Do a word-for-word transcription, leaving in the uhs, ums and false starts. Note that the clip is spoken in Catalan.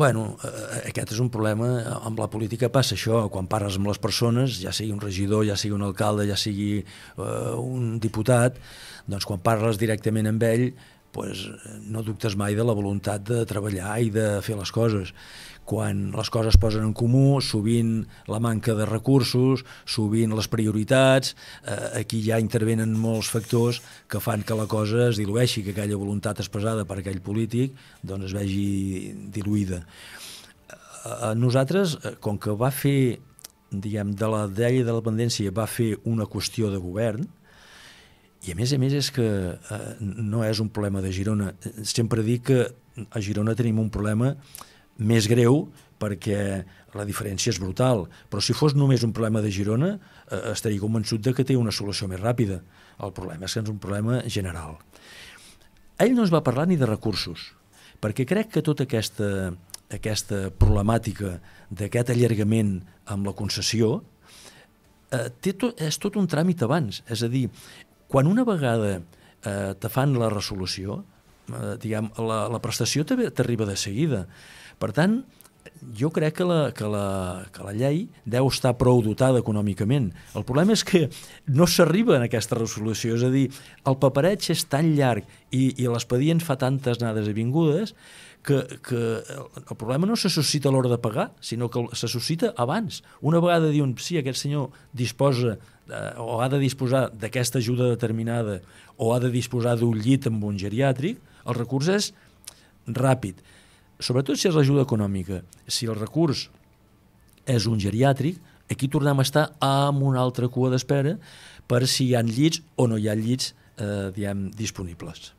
Bueno, eh, aquest és un problema, amb la política passa això, quan parles amb les persones, ja sigui un regidor, ja sigui un alcalde, ja sigui eh, un diputat, doncs quan parles directament amb ell, pues, no dubtes mai de la voluntat de treballar i de fer les coses. Quan les coses es posen en comú, sovint la manca de recursos, sovint les prioritats, eh, aquí ja intervenen molts factors que fan que la cosa es dilueixi, que aquella voluntat expressada per aquell polític doncs es vegi diluïda. Eh, nosaltres, com que va fer, diguem, de la llei de la dependència va fer una qüestió de govern, i a més a més és que eh, no és un problema de Girona. Sempre dic que a Girona tenim un problema més greu perquè la diferència és brutal, però si fos només un problema de Girona eh, estaria convençut de que té una solució més ràpida. El problema és que és un problema general. Ell no ens va parlar ni de recursos, perquè crec que tota aquesta, aquesta problemàtica d'aquest allargament amb la concessió eh, té to, és tot un tràmit abans, és a dir, quan una vegada eh, te fan la resolució, eh, diguem, la, la prestació t'arriba de seguida. Per tant, jo crec que la, que, la, que la llei deu estar prou dotada econòmicament. El problema és que no s'arriba a aquesta resolució, és a dir, el papereig és tan llarg i, i l'expedient fa tantes anades i vingudes que, que el problema no se suscita a l'hora de pagar, sinó que se suscita abans. Una vegada diuen, sí, aquest senyor disposa eh, o ha de disposar d'aquesta ajuda determinada o ha de disposar d'un llit amb un geriàtric, el recurs és ràpid. Sobretot si és l'ajuda econòmica. Si el recurs és un geriàtric, aquí tornem a estar amb una altra cua d'espera per si hi ha llits o no hi ha llits eh, diguem, disponibles.